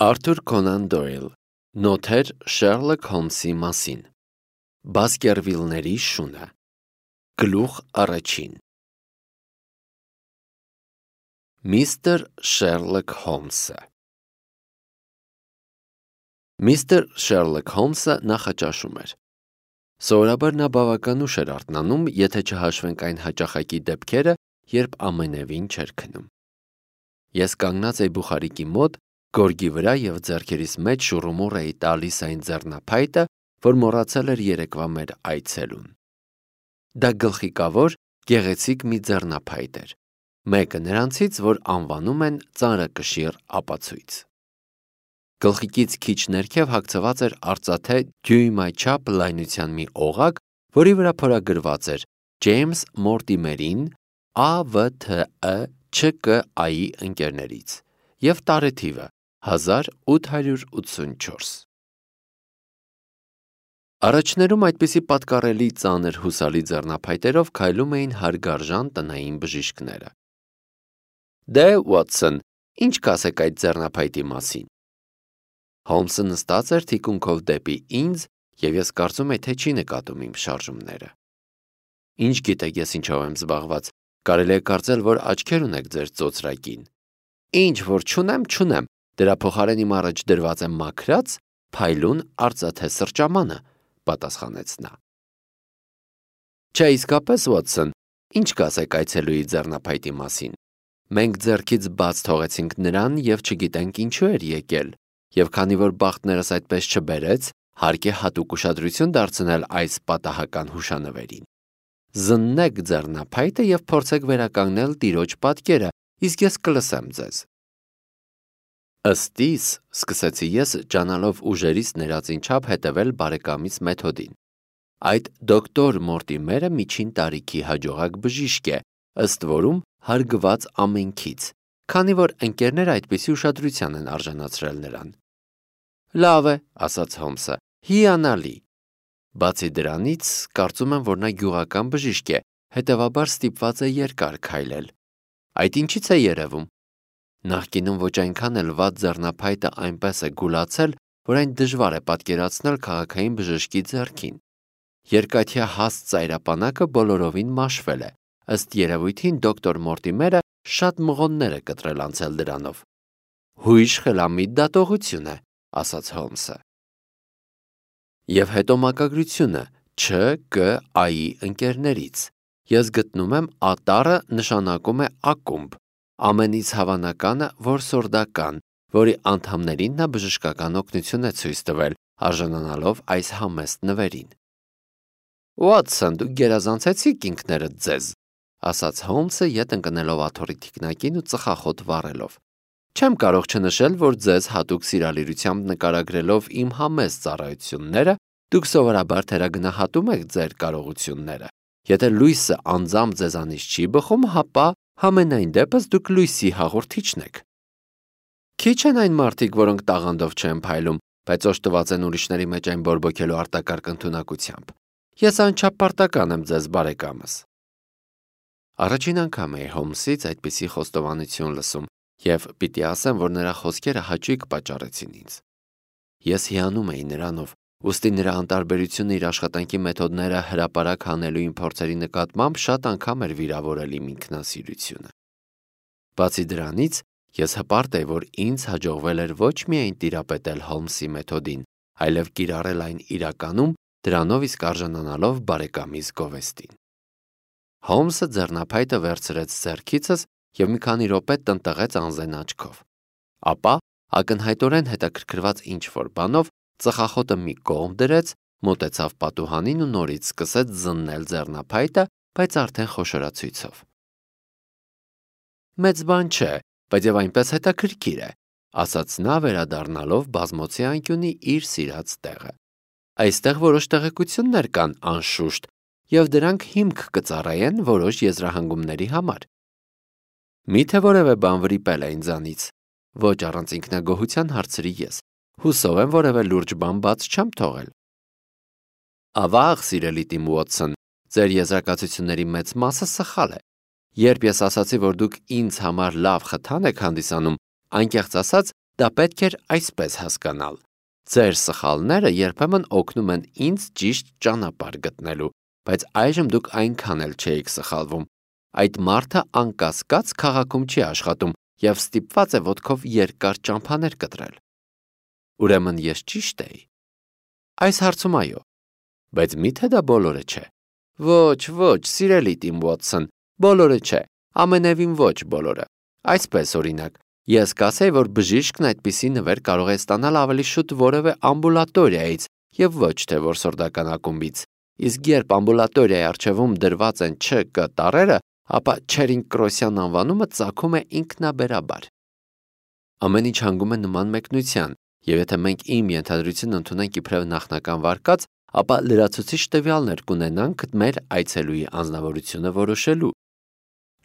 Արթուր Կոնան Դոյլ, Նոթեր Շերլոք Հոլմսի մասին, Բասկերվիլների շունը, Գլուխ առաջին։ Միստր Շերլոք Հոլմսը Միստր Շերլոք Հոլմսը նախաճաշում էր։ Սովորաբար նա բավական ուշ էր արթնանում, եթե չհաշվենք այն հաճախակի դեպքերը, երբ ամենևին չէր քնում։ Ես կանգնած էի բուխարիկի մոտ, գորգի վրա և ձեռքերիս մեջ շուռումուռ էի տալիս այն ձեռնափայտը, որ մոռացել էր երեկվա մեր այցելուն։ Դա գլխիկավոր, գեղեցիկ մի ձեռնափայտ էր, մեկը նրանցից, որ անվանում են ծանրակշիռ ապացույց։ Գլխիկից քիչ ներքև հագցված էր արծաթե դյույմաչափ լայնության մի օղակ, որի վրա փորագրված էր Ջեյմս Մորտիմերին ԱՎԹԸ ՉԿԱ-ի ընկերներից և տարեթիվը 1884։ Առաջներում այդպիսի պատկառելի ծանր հուսալի ձեռնափայտերով քայլում էին հարգարժան տնային բժիշկները։ Դե, Ուոտսոն, ինչ կասեք այդ ձեռնափայտի մասին։ Հոլմսը նստած էր թիկունքով դեպի ինձ, և ես կարծում եի, թե չի նկատում իմ շարժումները։ Ինչ գիտեք ես ինչով եմ զբաղված, կարելի է կարծել, որ աչքեր ունեք ձեր ծոծրակին։ Ինչ որ չունեմ, դրա փոխարեն իմ առաջ դրված է մաքրած, փայլուն արծաթե սրճամանը, պատասխանեց նա։ Չէ, իսկապես, Ուոտսոն, ինչ կասեք այցելուի ձեռնափայտի մասին։ Մենք ձեռքից բաց թողեցինք նրան և չգիտենք ինչու էր եկել, և քանի որ բախտներս այդպես չբերեց, հարկ է հատուկ ուշադրություն դարձնել այս պատահական հուշանվերին։ Զննեք ձեռնափայտը և փորձեք վերականգնել տիրոջ պատկերը, իսկ ես կլսեմ ձեզ։ Ըստ իս, սկսեցի ես, ջանալով ուժերից ներածին չափ հետևել բարեկամիս մեթոդին։ Այդ դոկտոր Մորտիմերը միջին տարիքի հաջողակ բժիշկ է, ըստ որում հարգված ամենքից, քանի որ ընկերները այդպիսի ուշադրության են արժանացրել նրան։ Լավ է, ասաց Հոլմսը, հիանալի։ Բացի դրանից, կարծում եմ, որ նա գյուղական բժիշկ է, հետևաբար ստիպված է երկար քայլել։ Այդ ինչից է երևում։ Նախկինում ոչ այնքան էլ վատ ձեռնափայտը այնպես է գուլացել, որ այն դժվար է պատկերացնել քաղաքային բժշկի ձեռքին։ Երկաթյա հաստ ծայրապանակը բոլորովին մաշվել է, ըստ երևույթին դոկտոր Մորտիմերը շատ մղոններ է կտրել անցել դրանով։ Հույժ խելամիտ դատողություն է, ասաց Հոլմսը։ Եվ հետո մակագրությունը ՉԿԱ-ի ընկերներից։ Ես գտնում եմ ատարը նշանակում է ակումբ, ամենից հավանականը, որ սորդական, որի անդամներին նա բժշկական օգնություն է ցույց տվել, արժանանալով այս համեստ նվերին։ Ուոտսոն, դուք գերազանցեցիք ինքներդ ձեզ, ասաց Հոլմսը ետ ընկնելով աթոռի թիկնակին ու ծխախոտ վառելով։ Չեմ կարող չնշել, որ ձեզ հատուկ սիրալիրությամբ նկարագրելով իմ համեստ ծառայությունները, դուք սովորաբար թերագնահատում եք ձեր կարողությունները։ Եթե լույսը անձամբ ձեզանից չի բխում, հապա համենայն դեպս դուք լույսի հաղորդիչն եք։ Քիչ են այն մարդիկ, որոնք տաղանդով չեն փայլում, բայց օժտված են ուրիշների մեջ այն բորբոքելու արտակարգ ընդունակությամբ։ Ես անչափ պարտական եմ ձեզ, բարեկամս։ Առաջին անգամ էի Հոլմսից այդպիսի խոստովանություն լսում, և պիտի ասեմ, որ նրա խոսքերը հաճույք պատճառեցին ինձ։ Ես հիանում էի նրանով, ուստի նրա անտարբերությունը իր աշխատանքի մեթոդները հրապարակ հանելու իմ փորձերի նկատմամբ շատ անգամ էր վիրավորել իմ ինքնասիրությունը։ Բացի դրանից, ես հպարտ էի, որ ինձ հաջողվել էր ոչ միայն տիրապետել Հոլմսի մեթոդին, այլև կիրառել այն իրականում, դրանով իսկ արժանանալով բարեկամիս գովեստին։ Հոլմսը ձեռնափայտը վերցրեց ձեռքիցս և մի քանի րոպե տնտղեց անզեն աչքով։ Ապա, ակնհայտորեն հետաքրքրված ինչ-որ բանով, ծխախոտը մի կողմ դրեց, մոտեցավ պատուհանին ու նորից սկսեց զննել ձեռնափայտը, բայց արդեն խոշորացույցով։ Մեծ բան չէ, բայց և այնպես հետաքրքիր է, ասաց նա վերադառնալով բազմոցի անկյունի իր սիրած տեղը։ Այստեղ որոշ տեղեկություններ կան, անշուշտ, և դրանք հիմք կծառայեն որոշ եզրահանգումների համար։ Միթե որևէ բան վրիպել է ինձանից։ Ոչ առանց ինքնագոհության հարցրի ես։ Հուսով եմ որևէ լուրջ բան բաց չեմ թողել։ Ավաղ, սիրելի Տիմ Ուոտսոն, ձեր եզրակացությունների մեծ մասը սխալ է։ Երբ ես ասացի, որ դուք ինձ համար լավ խթան եք հանդիսանում, անկեղծ ասած, Դա պետք էր այսպես հասկանալ. ձեր սխալները երբեմն օգնում են ինձ ճիշտ ճանապարհ գտնելու, բայց այժմ դուք այնքան էլ չէիք սխալվում։ Այդ մարդը անկասկած քաղաքում չի աշխատում և ստիպված է ոտքով երկար ճամփաներ կտրել։ Ուրեմն ես ճիշտ էի։ Այս հարցում այո, բայց միթե դա բոլորը չէ։ Ոչ, սիրելի Տիմ Ուոթսոն, բոլորը չէ, ամենևին ոչ բոլորը։ Այսպես օրինակ, ես կասեի, որ բժիշկն այդպիսի նվեր կարող է ստանալ ավելի շուտ որևէ ամբուլատորիայից և ոչ թե որսորդական ակումբից, իսկ երբ ամբուլատորիայի առջևում դրված են ՉԿ տառերը, ապա Չերինգ-Կրոսյան անվանումը ծագում է ինքնաբերաբար։ Ամեն ինչ հանգում է նման մեկնության, և եթե մենք իմ ենթադրությունն ընդունենք իբրև նախնական վարկած, ապա լրացուցիչ տվյալներ կունենանք մեր այցելուի անձնավորությունը որոշելու։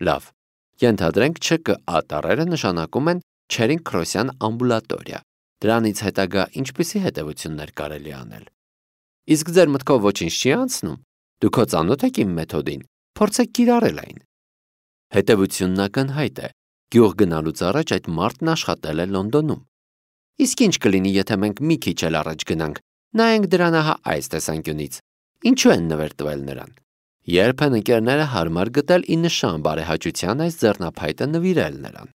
Լավ, ենթադրենք ՉԿ տառերը նշանակում են Չերինգ-Կրոսյան ամբուլատորիա։ Դրանից հետագա ինչպիսի հետևություններ կարելի անել։ Իսկ ձեր մտքով ոչինչ չի անցնում։ Դուք հո ծանոթ եք իմ մեթոդին, փորձեք կիրառել այն։ Հետևությունն ակնհայտ է։ Գյուղ գնալուց առաջ այդ մարդն աշխատել է Լոնդոնում։ Իսկ ինչ կլինի, եթե մենք մի քիչ էլ առաջ գնանք, նայենք դրան ահա այս տեսանկյունից։ Ինչու են նվեր տվել նրան։ Երբ են ընկերները հարմար գտել ի նշան բարեհաճության այս ձեռնափայտը նվիրել նրան։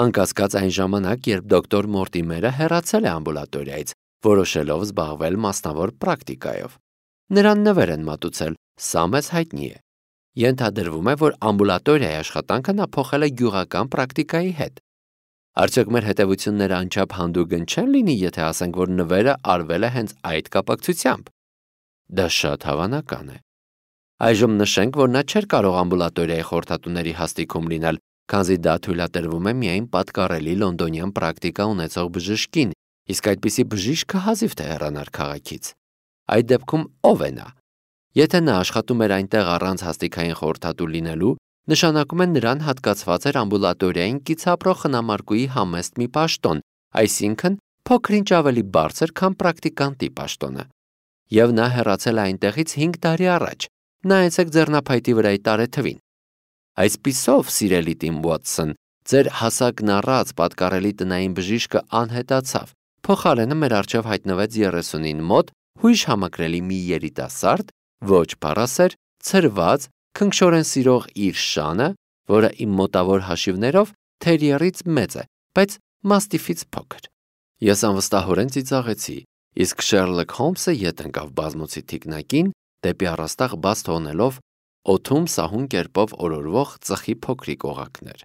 Անկասկած այն ժամանակ, երբ դոկտոր Մորտիմերը հեռացել է ամբուլատորիայից, որոշելով զբաղվել մասնավոր պրակտիկայով։ Նրան նվեր են մատուցել, սա մեզ հայտնի է։ Ենթադրվում է, որ ամբուլատորիայի աշխատանքը նա փոխել է գյուղական պրակտիկայի հետ։ Արդյոք մեր հետևությունները անչափ հանդուգն չեն լինի, եթե ասենք, որ նվերը արվել է հենց այդ կապակցությամբ։ Դա շատ հավանական է։ Այժմ նշենք, որ նա չէր կարող ամբուլատորիայի խորհրդատուների հաստիքում լինել, քանզի դա թույլատրվում է միայն պատկառելի լոնդոնյան պրակտիկա ունեցող բժշկին, իսկ այդպիսի բժիշկը հազիվ թե հեռանար քաղաքից։ Այդ դեպքում ով է նա։ Եթե նա աշխատում էր այնտեղ առանց հաստիքային խորհրդատու լինելու, նշանակում է նրան հատկացված էր ամբուլատորիային կից ապրող խնամարկուի համեստ մի պաշտոն, այսինքն փոքր-ինչ ավելի բարձր, քան պրակտիկանտի պաշտոնը։ Եվ նա հեռացել է այնտեղից 5 տարի առաջ։ Նայեցեք ձեռնափայտի վրայի տարեթվին։ Այսպիսով, սիրելի Տիմ Ուոթսոն, ձեր հասակն առած պատկառելի տնային բժիշկը անհետացավ։ Փոխարենը մեր առջև հայտնվեց 30-ին մոտ հույժ համակրելի մի երիտասարդ, ոչ փառասեր, ցրված, քնքշորեն սիրող իր շանը, որը իմ մոտավոր հաշիվներով թերիերից մեծ է, բայց մաստիֆից փոքր։ Ես անվստահորեն ծիծաղեցի, իսկ Շերլոք Հոլմսը ետ ընկավ բազմոցի թիկնակին, դեպի առաստաղ բաց թողնելով օդում սահուն կերպով օրորվող ծխի փոքրիկ օղակներ։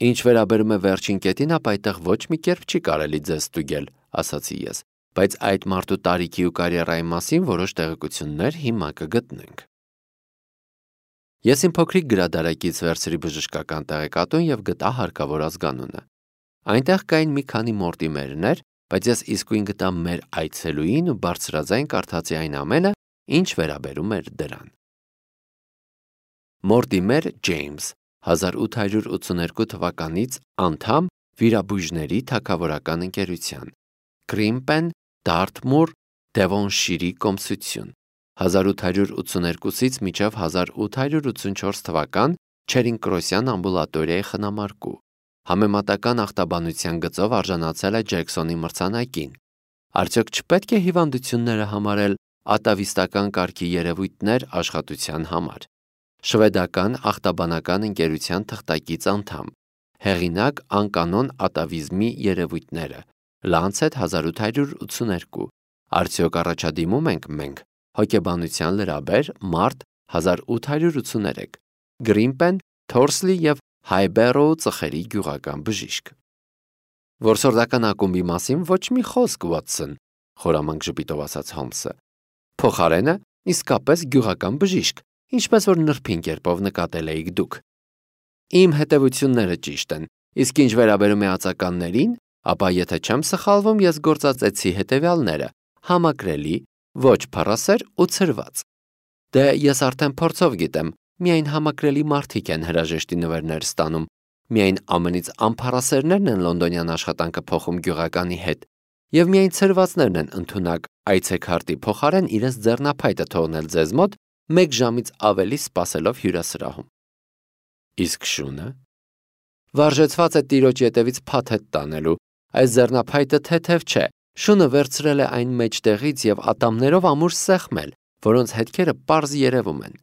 Ինչ վերաբերում է վերջին կետին, ապա այդտեղ ոչ մի կերպ չի կարելի ձեզ ստուգել, ասացի ես, բայց այդ մարդու տարիքի ու կարիերայի մասին որոշ տեղեկություններ հիմա կգտնենք։ Ես իմ փոքրիկ գրադարակից վերցրի բժշկական տեղեկատուն և գտա հարկավոր ազգանունը։ Այնտեղ կային մի քանի Մորտիմերներ, բայց ես իսկույն գտա մեր այցելուին ու բարձրաձայն կարդացի այն ամենը, ինչ վերաբերում էր դրան։ Մորտիմեր Ջեյմս, 1882 թվականից անդամ վիրաբույժների թագավորական ընկերության, Կրիմպեն, Դարթմուր, Դևոնշիրի կոմսություն, 1882-ից մինչև 1884 թվական Չերինգ-Կրոսյան ամբուլատորիայի խնամարկու, համեմատական ախտաբանության գծով արժանացել է Ջեքսոնի մրցանակին։ Արդյոք չպետք է հիվանդությունները համարել ատավիստական կարգի երևույթներ աշխատության համար։ Շվեդական ախտաբանական ընկերության թղթակից անդամ, հեղինակ անկանոն ատավիզմի երևույթները, Lancet 1882, արդյոք առաջադիմում ենք մենք, հոգեբանության լրաբեր, մարտ 1883, Գրիմպեն, Թորսլի և Հայբերոու ծխերի գյուղական բժիշկ։ Որսորդական ակումբի մասին ոչ մի խոսք, Ուոթսոն, խորամանկ ժպիտով ասաց Հոլմսը։ Փոխարենը իսկապես գյուղական բժիշկ, ինչպես որ նրբին կերպով նկատել էիք դուք։ Իմ հետևությունները ճիշտ են, իսկ ինչ վերաբերում է ածականներին, ապա եթե չեմ սխալվում, ես գործածեցի հետևյալները՝ համակրելի, ոչ փառասեր ու ցրված։ Դե ես արդեն փորձով գիտեմ, միայն համակրելի մարդիկ են հրաժեշտի նվերներ ստանում, միայն ամենից անփառասերներն են լոնդոնյան աշխատանքը փոխում գյուղականի հետ, և միայն ցրվածներն են ընդունակ այցեքարտի փոխարեն իրենց ձեռնափայտը թողնել ձեզ մոտ 1 ժամից ավելի սպասելով հյուրասրահում։ Իսկ շունը վարժեցված է տիրոջ ետևից փաթեթ տանելու, Այս ձեռնափայտը թեթև չէ, շունը վերցրել է այն մեջտեղից եւ ատամներով ամուր սեղմել, որոնց հետքերը պարզ երևում են։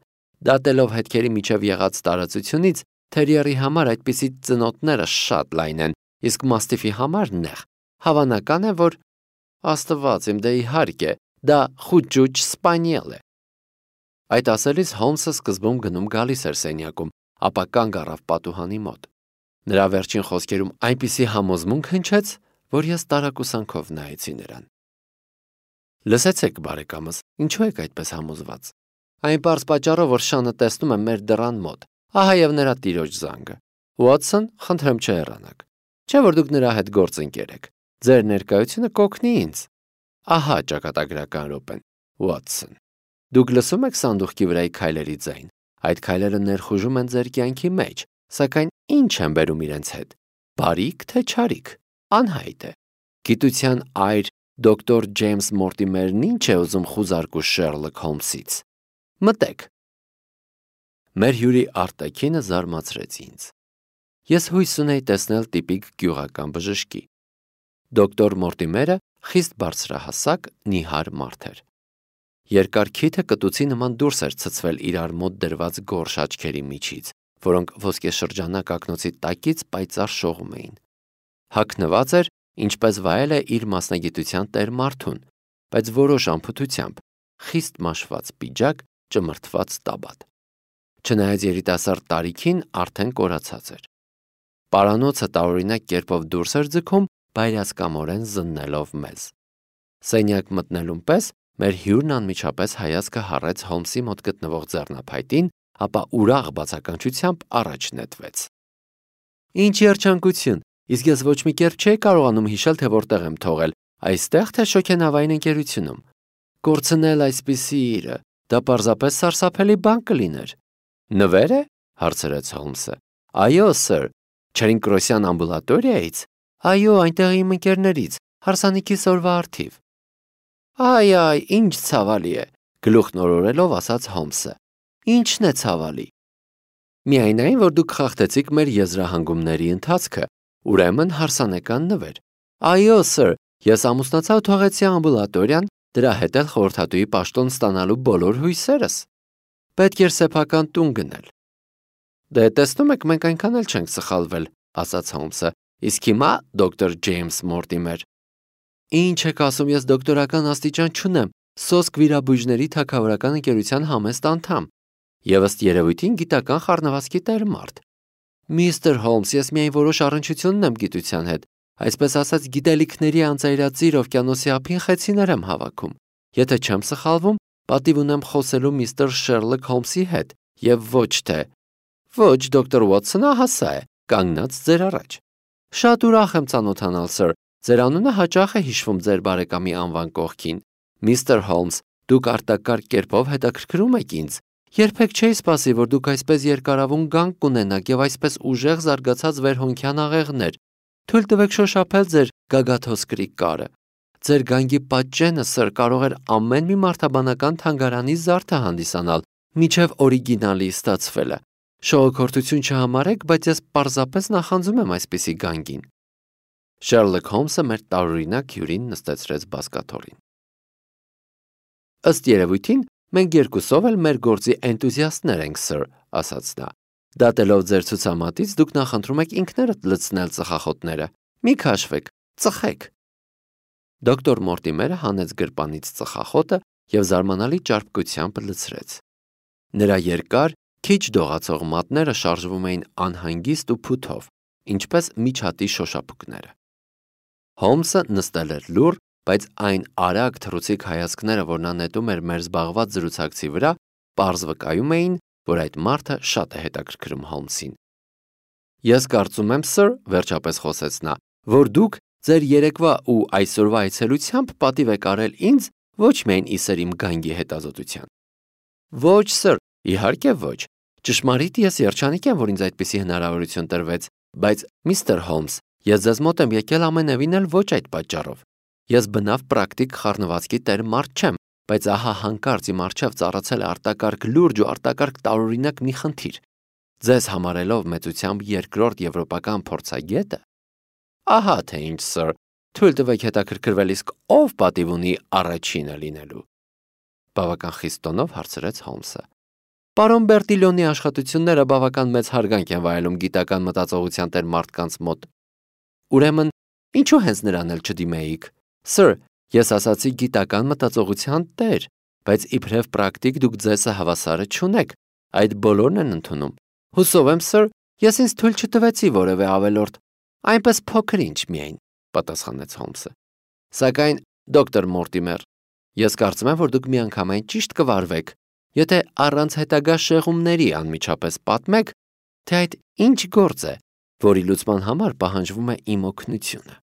Դատելով հետքերի միջև եղած տարածությունից, թերիերի համար այդպիսի ծնոտները շատ լայն են, իսկ մաստիֆի համար նեղ։ Հավանական է, որ Աստված իմ, դե իհարկե, դա խուճուճ սպանիել է։ Այդ ասելիս Հոլմսը սկզբում գնում գալիս էր սենյակում, ապա կանգ առավ պատուհանի մոտ։ Նրա վերջին խոսքերում այնպիսի համոզմունք հնչեց, որ ես տարակուսանքով նայեցի նրան։ Լսեցեք, բարեկամս, ինչու եք այդպես համոզված։ Այն պարզ պատճառով, որ Շանը տեսնում եմ մեր դռան մոտ, ահա եւ նրա տիրոջ զանգը։ Ուոտսոն, խնդրեմ չհեռանաք։ Չէ՞ որ դուք նրա հետ գործընկեր եք։ Ձեր ներկայությունը կօգնի ինձ։ Ահա ճակատագրական րոպեն, Ուոտսոն։ Դուք լսում եք սանդուղքի վրայի քայլերի ձայն։ Այդ քայլերը ներխուժում են ձեր կյանքի մեջ, սակայն ինչ են բերում իրենց հետ։ Բարիք թե չարիք, անհայտ է։ Գիտության այր դոկտոր Ջեյմս Մորտիմերն ինչ է ուզում խուզարկու Շերլոք Հոլմսից։ Մտեք։ Մեր հյուրի արտաքինը զարմացրեց ինձ։ Ես հույս ունեի տեսնել տիպիկ գյուղական բժշկի։ Դոկտոր Մորտիմերը խիստ բարձրահասակ, նիհար մարդ էր։ Երկար քիթը կտուցի նման դուրս էր ցցվել իրար մոտ դրված գորշ աչքերի միջից, որոնք ոսկեշրջանակ ակնոցի տակից պայծառ շողում էին։ Հագնված էր, ինչպես վայել է իր մասնագիտության տեր մարդուն, բայց որոշ անփութությամբ, խիստ մաշված պիջակ, ճմրթված տաբատ։ Չնայած երիտասարդ տարիքին արդեն կորացած էր։ Պարանոցը տարօրինակ կերպով դուրս էր ձգում, բայրասկամորեն զննելով մեզ։ Սենյակ մտնելուն պես մեր հյուրն անմիջապես հայացքը հառեց Հոլմսի մոտ գտնվող ձեռնափայտին, ապա ուրախ բացականչությամբ առաջ նետվեց։ Ինչ երջանկություն, իսկ ես ոչ մի կերպ չէի կարողանում հիշել, թե որտեղ եմ թողել, այստեղ թե շոգենավային ընկերությունում։ Կորցնել այսպիսի իրը, դա պարզապես սարսափելի բան կլիներ։ Նվեր է, հարցրեց Հոլմսը։ Այո, սըր, Չերինկրոսյան ամբուլատորիայից։ Այո, այնտեղ իմ ընկերներից, հարսանիքիս օրվա առթիվ։ Այ, ինչ ցավալի է, գլուխն օրորելով ասաց Հոլմսը։ Ինչն է ցավալի։ Միայն այն, որ դուք խախտեցիք մեր եզրահանգումների ընթացքը, ուրեմն հարսանեկան նվեր։ Այո, սըր, ես ամուսնացա ու թողեցի ամբուլատորիան, դրա հետ էլ խորհրդատուի պաշտոն ստանալու բոլոր հույսերս։ Պետք էր սեփական տուն գնել։ Դե տեսնում եք, մենք այնքան էլ չենք սխալվել, ասաց Հոլմսը։ Իսկ հիմա դոկտոր Ջեյմս Մորտիմեր։ Ինչ եք ասում, ես դոկտորական աստիճան չունեմ, սոսկ վիրաբույժների թագավորական ընկերության համեստ անդամ, եւ ըստ երևույթին գիտական խառնվածքի տեր մարդ։ Միստր Հոլմս, ես միայն որոշ առնչություն ունեմ գիտության հետ, այսպես ասած գիտելիքների անծայրածիր օվկիանոսի ափին խեցիներ եմ հավաքում։ Եթե չեմ սխալվում, պատիվ ունեմ խոսելու միստր Շերլոք Հոլմսի հետ, եւ ոչ թե։ Ոչ, դոկտոր Ուոտսոնը հասա է, կանգնած ձեր առաջ։ Շատ ուրախ եմ ծանոթանալ, սըր։ Ձեր անունը հաճախ է հիշվում ձեր բարեկամի անվան կողքին։ Միստր Հոլմս, դուք արտակարգ կերպով հետաքրքրում եք ինձ։ Երբեք չէի սպասի, որ դուք այսպես երկարավուն գանք կունենաք եւ այսպես ուժեղ զարգացած վերհոնքյան աղեղներ։ Թույլ տվեք շոշափել ձեր գագաթոսկրի կարը։ Ձեր գանգի պատճենը, սըր, կարող էր ամեն մի մարդաբանական թանգարանի զարդը հանդիսանալ, միջև օրիգինալի ստացվելը։ Շողոքորթություն չհամարեք, բայց ես պարզապես նախանձում եմ այսպիսի գանգին։ Շերլոք Հոլմսը մեր տարօրինակ հյուրին նստեցրեց բազկաթոռին։ Ըստ երևույթին, մենք երկուսով էլ մեր գործի էնտուզիաստներ ենք, սըր, ասաց նա։ Դատելով ձեր ցուցամատից, դուք նախընտրում եք ինքներդ լցնել ծխախոտները։ Մի քաշվեք, ծխեք։ Դոկտոր Մորտիմերը հանեց գրպանից ծխախոտը եւ զարմանալի ճարպկությամբ լցրեց։ Նրա երկար, քիչ դողացող մատները շարժվում էին անհանգիստ ու փութով, ինչպես միջատի շոշափուկները։ Հոլմսը նստել էր լուռ, բայց այն արագ թռուցիկ հայացքները, որ նա նետում էր մեր զբաղված զրուցակցի վրա, պարզ վկայում էին, որ այդ մարդը շատ է հետաքրքրում Հոլմսին։ Ես կարծում եմ, սըր, վերջապես խոսեց նա, որ դուք ձեր երեկվա ու այսօրվա այցելությամբ պատիվ եք արել ինձ ոչ միայն իսեր իմ գանգի հետազոտության։ Ոչ, սըր, իհարկե ոչ։ Ճշմարիտ ես երջանիկ եմ, որ ինձ այդպիսի հնարավորություն տրվեց, բայց միստր Հոլմս, ես ձեզ մոտ եմ եկել ամենևին էլ ոչ այդ պատճառով։ Ես բնավ պրակտիկ խառնվածքի տեր մարդ չեմ, բայց ահա հանկարծ իմ առջև ծառացել է արտակարգ լուրջ ու արտակարգ տարօրինակ մի խնդիր։ Ձեզ համարելով մեծությամբ երկրորդ եվրոպական փորձագետը, Ահա թե ինչ, սir, թույլ տվեք հետաքրքրվել, իսկ ով պատիվ ունի առաջինը լինելու։ Բավական խիստ տոնով հարցրեց Հոլմսը։ Պարոն Բերտիլոնի աշխատությունները բավական մեծ հարգանք են վայելում գիտական մտածողության տեր մարդկանց մոտ։ Ուրեմն, ինչու հենց նրան էլ չդիմեիք։ Սir, ես ասացի գիտական մտածողության տեր, բայց իբրև պրակտիկ դուք ձեզը հավասարը չունեք, այդ բոլորն են ընդունում։ Հուսով եմ, Sir, ես ինձ թույլ չտվեցի որևէ ավելորդ, այնպես փոքր-ինչ միայն, պատասխանեց Հոլմսը։ Սակայն, դոկտոր Մորտիմեր, ես կարծում եմ, որ դուք միանգամայն ճիշտ կվարվեք, եթե առանց հետագա շեղումների անմիջապես պատմեք, թե այդ ինչ գործ է, որի լուծման համար պահանջվում է իմ օգնությունը։